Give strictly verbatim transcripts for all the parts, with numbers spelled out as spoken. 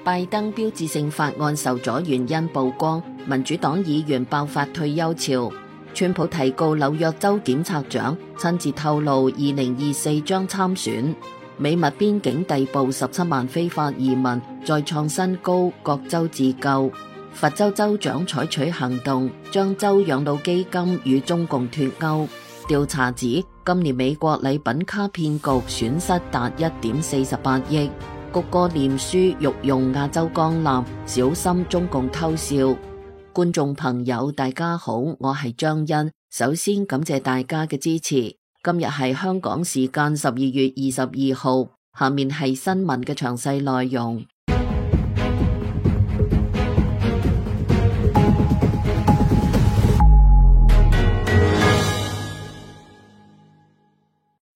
拜登標誌性法案受阻原因曝光，民主黨議員爆發退休潮。川普提告紐約州檢察長，親自透露二零二四將參選。美墨邊境逮捕十七萬非法移民，再創新高，各州自救。佛州州長採取行動，將州養老基金與中共脫鈎。調查指，今年美國禮品卡騙局損失達一點四十八億。谷歌臉書欲用亞洲光纜，小心中共偷笑。觀眾朋友大家好，我係張欣，首先感謝大家嘅支持。今日係香港時間十二月二十二號，下面係新聞嘅詳細內容。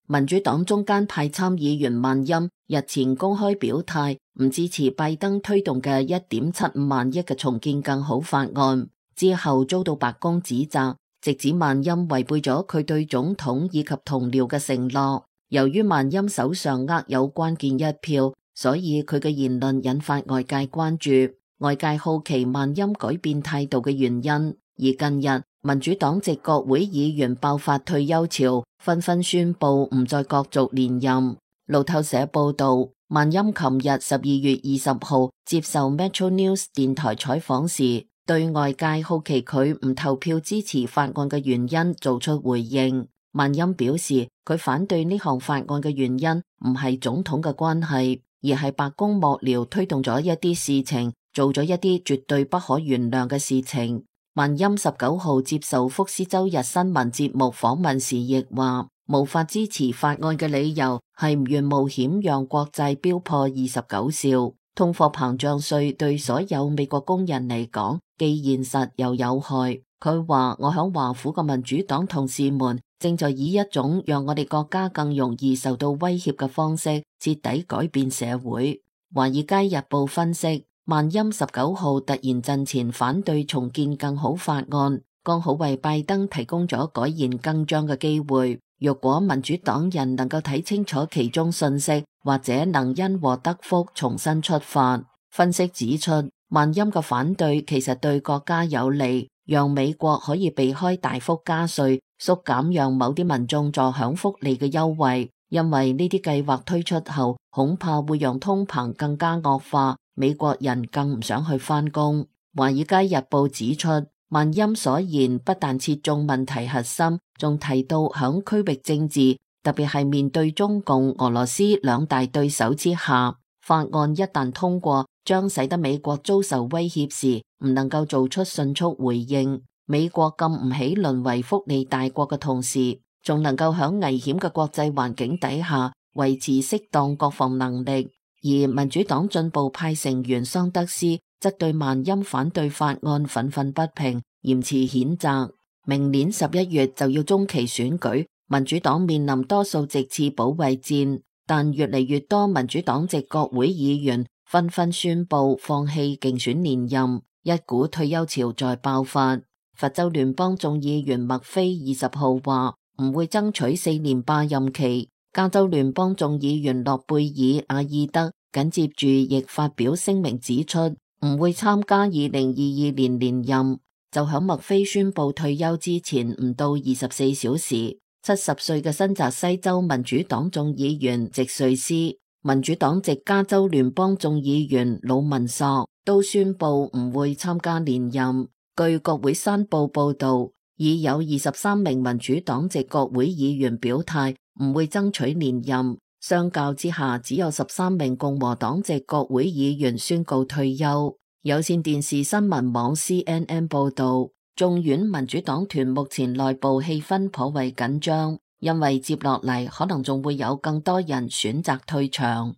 民主黨中間派參議員萬欽日前公開表態，唔支持拜登推動嘅一點七五萬億嘅重建更好法案，之後遭到白宮指責，直指萬欽違背咗佢對總統以及同僚嘅承諾。由於萬欽手上握有關鍵一票，所以佢嘅言論引發外界關注。外界好奇萬欽改變態度嘅原因，而近日民主黨籍國會議員爆發退休潮，紛紛宣布唔再角逐連任。路透社報道，萬欽琴日十二月二十號接受 Metro News 電台採訪時，對外界好奇佢唔投票支持法案嘅原因做出回應。萬欽表示，佢反對呢項法案嘅原因唔係總統嘅關係，而係白宮幕僚推動咗一啲事情，做咗一啲絕對不可原諒嘅事情。萬欽十九號接受福斯周日新聞節目訪問時亦話，無法支持法案嘅理由係唔願冒險讓國債飆破二十九兆。通貨膨脹稅對所有美國工人嚟講既現實又有害。佢話，我響華府嘅民主黨同事們正在以一種讓我哋國家更容易受到威脅嘅方式徹底改變社會。華爾街日報分析，萬欽十九號突然陣前反對重建更好法案，剛好為拜登提供咗改弦更張嘅機會。若果民主黨人能夠睇清楚其中信息，或者能因禍得福重新出發。分析指出，萬欽嘅反對其實對國家有利，讓美國可以避開大幅加稅，縮減讓某啲民眾坐享福利嘅優惠，因為呢啲計劃推出後，恐怕會讓通膨更加惡化。美國人更唔想去返工。華爾街日報指出，萬欽所言不但切中問題核心，仲提到響區域政治，特別係面對中共、俄羅斯兩大對手之下，法案一旦通過，將使得美國遭受威脅時唔能夠做出迅速回應。美國禁唔起淪為福利大國嘅同時，仲能夠響危險嘅國際環境底下維持適當國防能力。而民主黨進步派成員桑德斯則對萬欽反對法案憤憤不平，嚴詞譴責。明年十一月就要中期選舉，民主黨面臨多數席次保衛戰，但越嚟越多民主黨籍國會議員紛紛宣布放棄競選連任，一股退休潮在爆發。佛州聯邦眾議員麥菲二十號話唔會爭取四年霸任期。加州聯邦眾議員諾貝爾阿爾德緊接住亦發表聲明指出，唔會參加二零二二年連任。就響麥菲宣布退休之前唔到二十四小時，七十歲嘅新澤西州民主黨眾議員席瑞斯、民主黨籍加州聯邦眾議員魯文索都宣布唔會參加連任。據國會山報報道，已有二十三名民主黨籍國會議員表態唔會爭取連任，相較之下，只有十三名共和黨籍國會議員宣告退休。有線電視新聞網 C N N 報道，眾院民主黨團目前內部氣氛頗為緊張，因為接落嚟可能仲會有更多人選擇退場。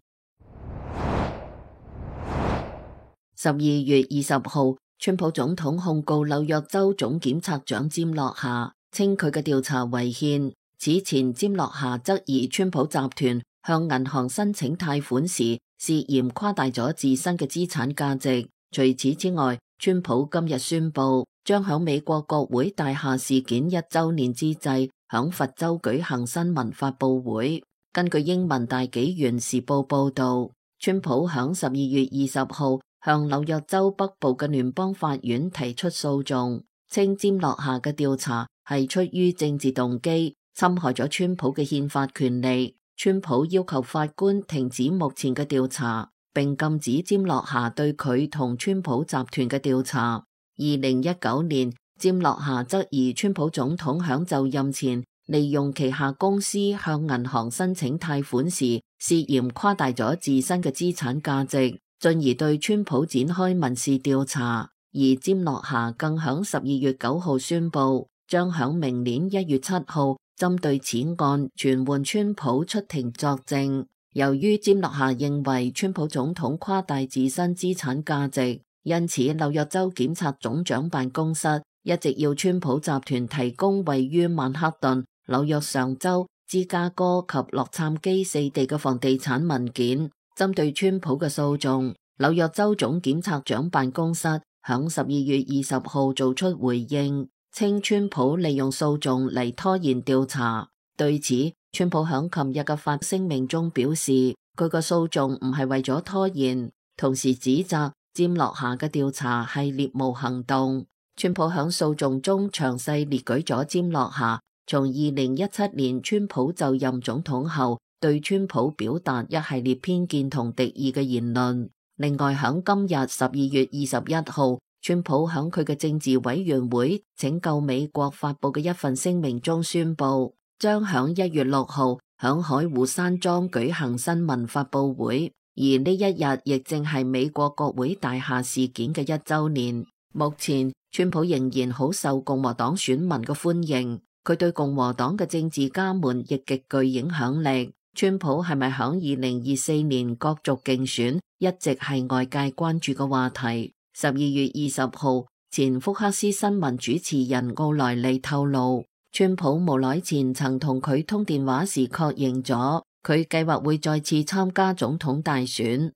十二月二十號，川普總統控告紐約州總檢察長詹洛夏，稱佢嘅調查違憲。此前，詹洛夏質疑川普集團向銀行申請貸款時涉嫌誇大咗自身嘅資產價值。除此之外，川普今日宣布將響美國國會大廈事件一周年之際，響佛州舉行新聞發佈會。根據英文大紀元時報報道，川普響十二月二十號向紐約州北部嘅聯邦法院提出訴訟，稱詹洛夏嘅調查係出於政治動機，侵害咗川普嘅憲法權利。川普要求法官停止目前嘅調查，並禁止詹洛夏對佢同川普集團嘅調查。二零一九年，詹洛夏質疑川普總統響就任前利用旗下公司向銀行申請貸款時，涉嫌誇大咗自身嘅資產價值，進而對川普展開民事調查。而詹洛夏更響十二月九號宣布，將響明年一月七號針對此案傳喚川普出庭作證。由於詹洛夏認為川普總統誇大自身資產價值，因此紐約州檢察總長辦公室一直要川普集團提供位於曼克頓、紐約上州、芝加哥及洛杉磯四地嘅房地產文件。針對川普嘅訴訟，紐約州總檢察長辦公室響十二月二十號做出回應，稱川普利用訴訟嚟拖延調查。對此，川普響琴日嘅發聲明中表示，佢個訴訟唔係為咗拖延，同時指責詹洛夏嘅調查係獵巫行動。川普響訴訟中詳細列舉咗詹洛夏從二零一七年川普就任總統後對川普表達一系列偏見同敵意嘅言論。另外，響今日十二月二十一號，川普響佢嘅政治委員會拯救美國發佈嘅一份聲明中宣布，將響一月六號響海湖山莊舉行新聞發佈會，而呢一日亦正係美國國會大廈事件嘅一週年。目前，川普仍然好受共和黨選民嘅歡迎，佢對共和黨嘅政治家們亦極具影響力。川普係咪響二零二四年角逐競選，一直係外界關注嘅話題。十二月二十號，前福克斯新聞主持人奧萊利透露，川普無耐前曾同佢通電話時確認咗，佢計劃會再次參加總統大選。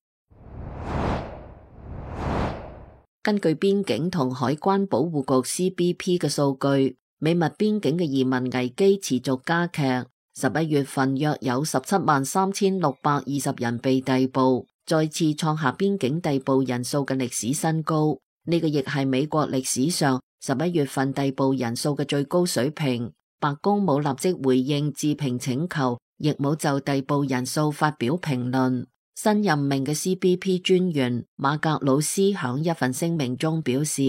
根據邊境同海關保護局 C B P 嘅數據，美墨邊境嘅移民危機持續加劇。十一月份約有十七萬三千六百二十人被逮捕，再次創下邊境逮捕人數嘅歷史新高。呢、這個亦係美國歷史上十一月份逮捕人數嘅最高水平。白宮冇立即回應置評請求，亦冇就逮捕人數發表評論。新任命嘅 C B P 專員馬格魯斯響一份聲明中表示，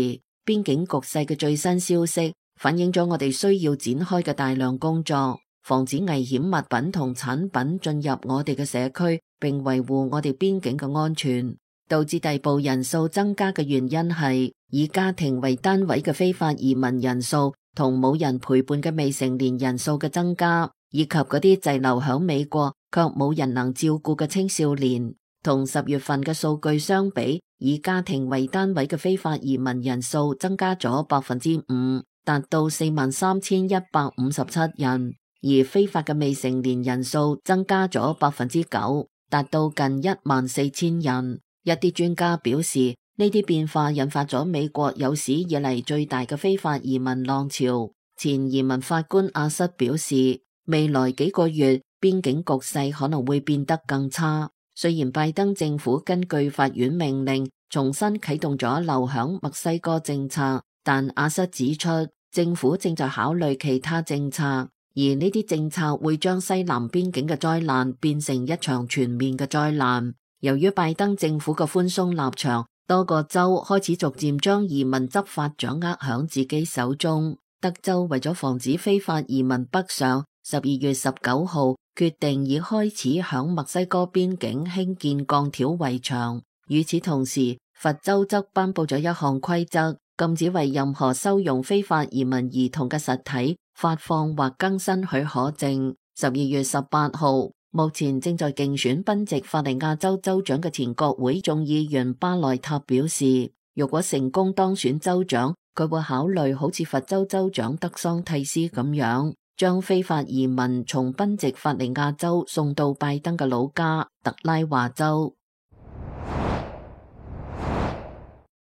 邊境局勢嘅最新消息反映咗我哋需要展開嘅大量工作，防止危險物品同產品進入我哋嘅社區，並維護我哋邊境嘅安全。導致逮捕人數增加嘅原因係以家庭為單位嘅非法移民人數同冇人陪伴嘅未成年人數嘅增加，以及嗰啲滯留響美國卻冇人能照顧嘅青少年。同十月份嘅數據相比，以家庭為單位嘅非法移民人數增加咗百分之五，達到四萬三千一百五十七人，而非法嘅未成年人數增加咗百分之九，達到近一萬四千人。一啲專家表示，呢啲變化引發咗美國有史以嚟最大嘅非法移民浪潮。前移民法官阿瑟表示，未來幾個月邊境局勢可能會變得更差。雖然拜登政府根據法院命令重新啟動咗留響墨西哥政策，但阿瑟指出，政府正在考慮其他政策，而呢啲政策會將西南邊境嘅災難變成一場全面嘅災難。由於拜登政府嘅寬鬆立場，多個州開始逐漸將移民執法掌握響自己手中。德州為咗防止非法移民北上，十二月十九號決定已開始響墨西哥邊境興建鋼條圍牆。與此同時，佛州則頒布咗一項規則，禁止為任何收容非法移民兒童嘅實體發放或更新許可證。十二月十八號，目前正在競選賓夕法尼亞州州長嘅前國會眾議員巴內塔表示，如果成功當選州長，佢會考慮好似佛州州長德桑蒂斯咁樣，將非法移民從賓夕法尼亞州送到拜登嘅老家特拉華州。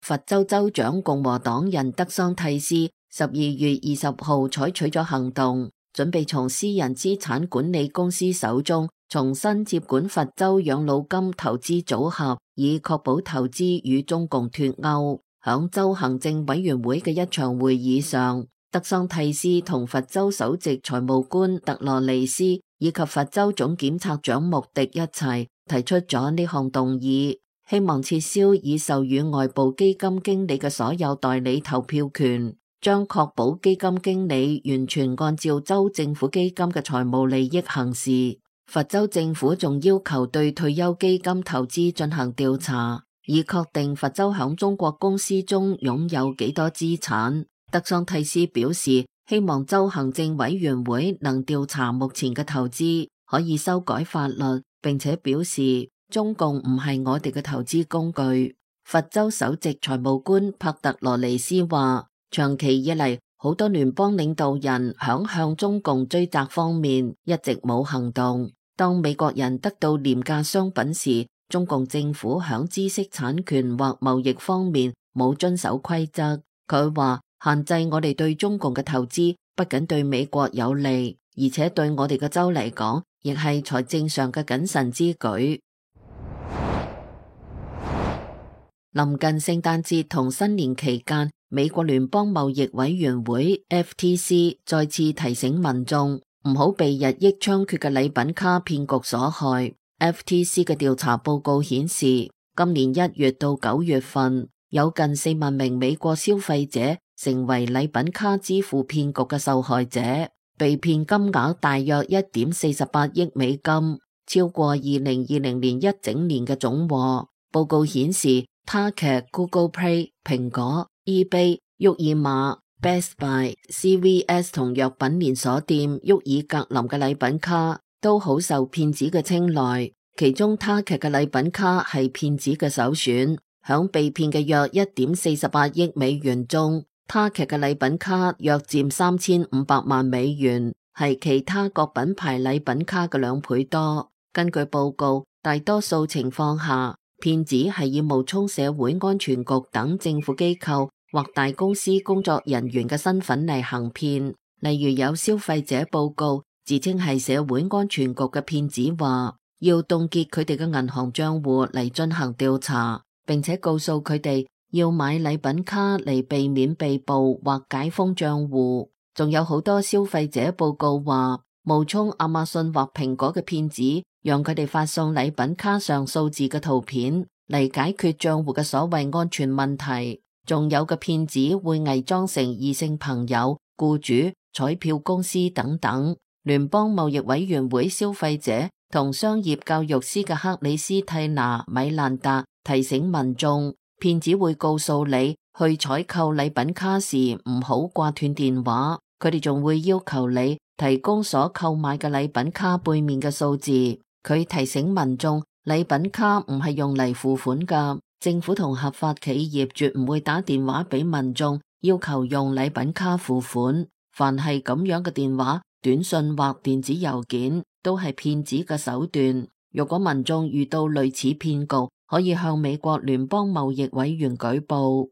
佛州州長共和黨人德桑蒂斯十二月二十號採取咗行動，準備從私人資產管理公司手中重新接管佛州養老金投資組合，以確保投資與中共脫鈎。響州行政委員會嘅一場會議上，德桑蒂斯同佛州首席財務官特羅尼斯以及佛州總檢察長穆迪一齊提出咗呢項動議，希望撤銷已授予外部基金經理嘅所有代理投票權，將確保基金經理完全按照州政府基金嘅財務利益行事。佛州政府仲要求對退休基金投資進行調查，以確定佛州響中國公司中擁有幾多資產。德桑蒂斯表示，希望州行政委員會能調查目前嘅投資，可以修改法律，並且表示中共唔係我哋嘅投資工具。佛州首席財務官帕特羅尼斯話，長期以嚟，好多聯邦領導人響向中共追責方面一直冇行動。當美國人得到廉價商品時，中共政府響知識產權或貿易方面冇遵守規則。佢話限制我哋對中共嘅投資，不僅對美國有利，而且對我哋嘅州嚟講，亦係財政上嘅謹慎之舉。臨近聖誕節同新年期間，美國聯邦貿易委員會 F T C 再次提醒民眾唔好被日益猖獗嘅禮品卡騙局所害。F T C 嘅調查報告顯示，今年一月到九月份，有近四萬名美國消費者成為禮品卡支付騙局嘅受害者，被騙金額大約一點四十八億美金，超過二零二零年一整年嘅總和。報告顯示，Target、Google Play、蘋果、eBay、沃爾瑪、Best Buy、C V S 同藥品連鎖店沃爾格林嘅禮品卡都好受騙子嘅青睞，其中 Target 嘅禮品卡係騙子嘅首選。響被騙嘅約一點四十八億美元中， Target 嘅禮品卡約佔三千五百萬美元，係其他各品牌禮品卡嘅兩倍多。根據報告，大多數情況下，騙子係以冒充社會安全局等政府機構或大公司工作人員嘅身份嚟行騙。例如有消費者報告自稱係社會安全局嘅騙子話，要凍結佢哋嘅銀行賬戶嚟進行調查，並且告訴佢哋要買禮品卡嚟避免被捕或解封賬戶。仲有好多消費者報告話，冒充亞馬遜或蘋果嘅騙子，讓佢哋發送禮品卡上數字嘅圖片嚟解決賬戶嘅所謂安全問題。仲有嘅騙子會偽裝成異性朋友、僱主、彩票公司等等。聯邦貿易委員會消費者同商業教育師嘅克里斯蒂娜·米蘭達提醒民眾，騙子會告訴你去採購禮品卡時唔好掛斷電話，佢哋仲會要求你提供所購買嘅禮品卡背面嘅數字。佢提醒民眾，禮品卡唔係用嚟付款㗎，政府同合法企業絕唔會打電話俾民眾要求用禮品卡付款。凡係咁樣嘅電話、短信或電子郵件都係騙子嘅手段。如果民眾遇到類似騙局，可以向美國聯邦貿易委員舉報。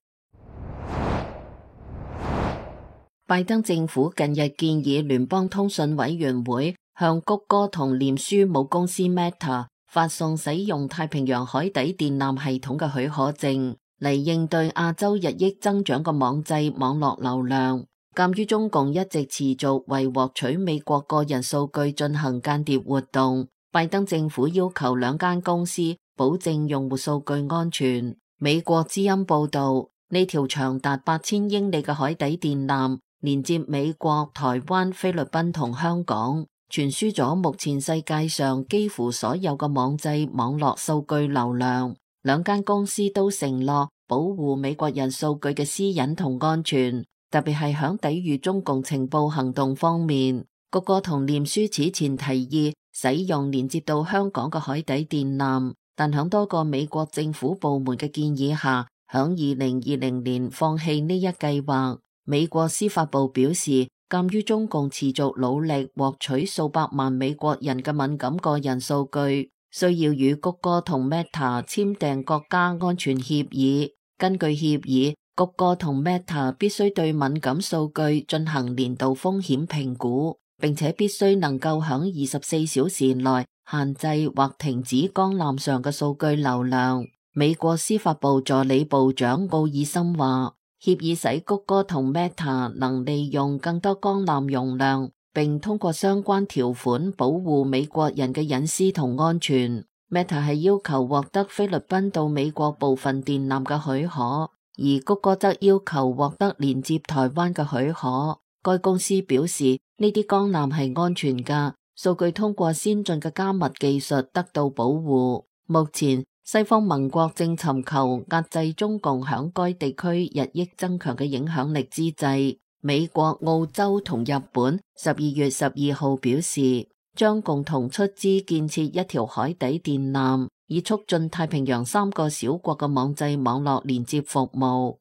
拜登政府近日建議聯邦通訊委員會向谷歌同臉書母公司 Meta 發送使用太平洋海底電纜系統嘅許可證，嚟應對亞洲日益增長嘅網際網絡流量。鑒於中共一直持續為獲取美國個人數據進行間諜活動，拜登政府要求兩間公司保證用戶數據安全。美國之音報道，呢條長達八千英里嘅海底電纜連接美國、台灣、菲律賓同香港，傳輸咗目前世界上幾乎所有嘅網際網絡數據流量。兩間公司都承諾保護美國人數據嘅私隱同安全，特別係響抵禦中共情報行動方面。谷歌同臉書此前提議使用連接到香港嘅海底電纜，但響多個美國政府部門嘅建議下，響二零二零年放棄呢一計劃。美國司法部表示，鑒於中共持續努力獲取數百萬美國人嘅敏感個人數據，需要與谷歌同 Meta 簽訂國家安全協議。根據協議，谷歌同 Meta 必須對敏感數據進行年度風險評估，並且必須能夠響二十四小時內限制或停止光纜上嘅數據流量。美國司法部助理部長奧爾森話，協議使谷歌同 Meta 能利用更多光纜容量，並通過相關條款保護美國人嘅隱私同安全。Meta 係要求獲得菲律賓到美國部分電纜嘅許可，而谷歌則要求獲得連接台灣嘅許可。該公司表示，呢啲光纜係安全㗎，數據通過先進嘅加密技術得到保護。目前，西方盟國正尋求壓制中共響該地區日益增強嘅影響力之際，美國、澳洲同日本十二月十二號表示，將共同出資建設一條海底電纜，以促進太平洋三個小國嘅網際網絡連接服務。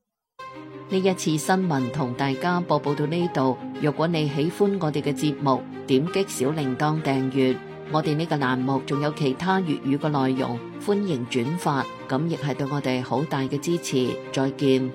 呢一次新聞同大家播報到呢度。若果你喜歡我哋嘅節目，點擊小鈴鐺訂閱。我哋呢個欄目仲有其他粵語嘅內容，歡迎轉發，咁亦係對我哋好大嘅支持。再見。